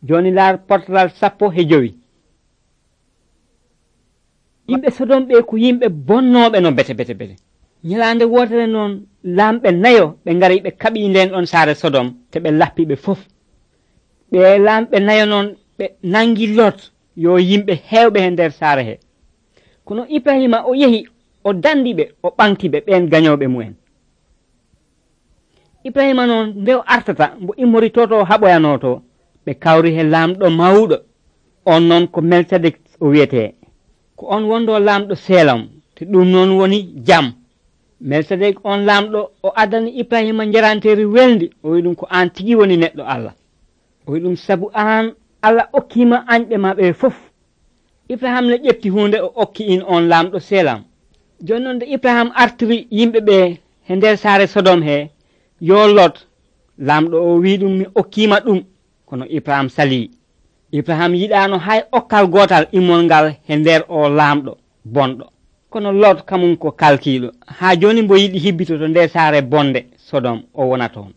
joni laar portal 15. yimɓe Sodom ɓe ko yimɓe bonnoɓe no bete ñalande wotere noon lamɓe nayo ɓe ngari ɓe kaɓi nden ɗon saare Sodom te ɓe lappiɓe fof. ɓe lamɓe nayo noon ɓe nangi Lot yo yimɓe hewɓe he nder saare he. kono Ibrahima o yehi o dandiɓe o ɓantiɓe ɓen gañoɓe mumen. Ibrahima noon nde o artata mbo immoritoto haɓoyanoto ɓe kawri he lamɗo mawɗo on noon ko Melkisedek o wiyete, ko on wondo lamɗo Selam te ɗum noon woni jam. Melkisedek on lamɗo o addani Ibrahima jaranteri welndi, o wi ɗum ko an tigi woni neɗɗo Allah. o wi ɗum sabu an Allah okkima anɓe maɓe fof. Ibrahima ne ƴetti hunde o okki in on lamɗo Selam. joni noon nde Ibrahima artiri yimɓe ɓe he nder saare Sodom he yo Lot, lamɗo o wi ɗum mi okkima ɗum, kono Ibrahima sali. Ibrahima yiɗano hay okkal gotal immol ngal he nder o lamɗo bonɗo. kono Lot kamum ko kalkiɗo, ha joni mbo yiɗi hibbito to nde saare bonde Sodom o wona toon.